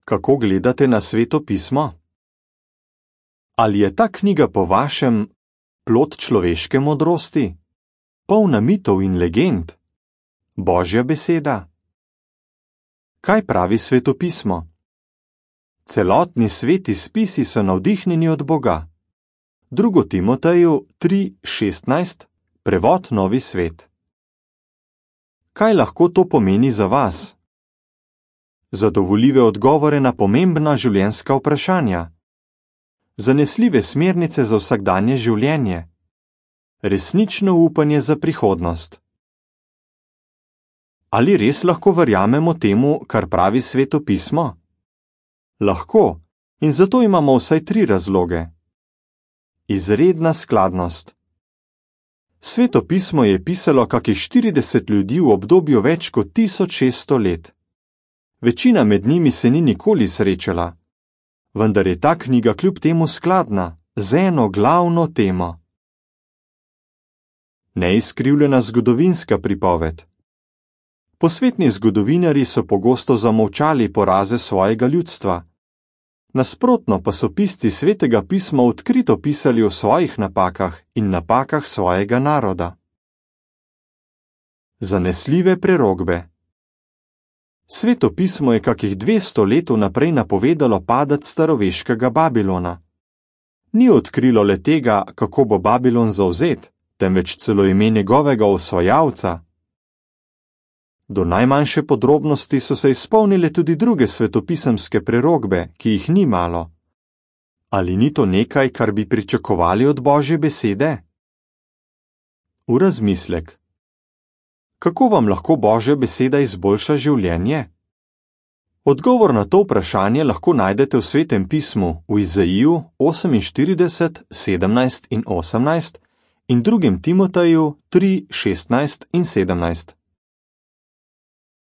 Kako gledate na Sveto pismo? Ali je ta knjiga po vašem plod človeške modrosti, polna mitov in legend, Božja beseda? Kaj pravi Sveto pismo? Celotni sveti spisi so navdihnjeni od Boga. 2. Timoteju 3:16, prevod Novi svet. Kaj lahko to pomeni za vas? Zadovoljive odgovore na pomembna življenjska vprašanja. Zanesljive smernice za vsakdanje življenje. Resnično upanje za prihodnost. Ali res lahko verjamemo temu, kar pravi Sveto pismo? Lahko, in zato imamo vsaj 3 razloge. Izredna skladnost. Sveto pismo je pisalo kakih 40 ljudi v obdobju več kot 1600 let. Večina med njimi se ni nikoli srečala, vendar je ta knjiga kljub temu skladna z eno glavno temo. Neizkrivljena zgodovinska pripoved. Posvetni zgodovinarji so pogosto zamolčali poraze svojega ljudstva. Nasprotno pa so pisci Svetega pisma odkrito pisali o svojih napakah in napakah svojega naroda. Zanesljive prerokbe. Sveto pismo je kakih 200 let vnaprej napovedalo padec staroveškega Babilona. Ni odkrilo le tega, kako bo Babilon zavzet, temveč celo ime njegovega osvajalca. Do najmanjše podrobnosti so se izpolnile tudi druge svetopisemske prerokbe, ki jih ni malo. Ali ni to nekaj, kar bi pričakovali od Božje besede? V razmislek. Kako vam lahko Božja beseda izboljša življenje? Odgovor na to vprašanje lahko najdete v Svetem pismu v Izaiju 48, 17 in 18 in 2. Timoteju 3, 16 in 17.